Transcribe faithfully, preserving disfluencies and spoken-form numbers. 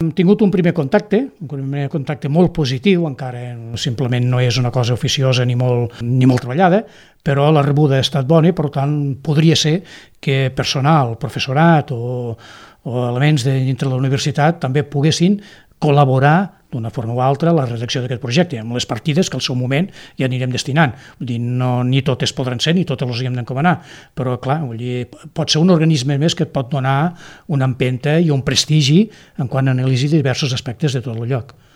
Hem tingut un primer contacte, un primer contacte molt positiu, encara simplement no és una cosa oficiosa ni molt, ni molt treballada, però la rebuda ha estat bona i, per tant, podria ser que personal, professorat o, o elements de, dintre de la universitat també poguessin col·laborar d'una forma o altra a la redacció d'aquest projecte, amb les partides que al seu moment ja anirem destinant. Vull dir, no, ni totes podran ser, ni totes les hem d'encomanar, però clar, vull dir, pot ser un organisme més que et pot donar una empenta i un prestigi en quan analitzi diversos aspectes de tot el lloc.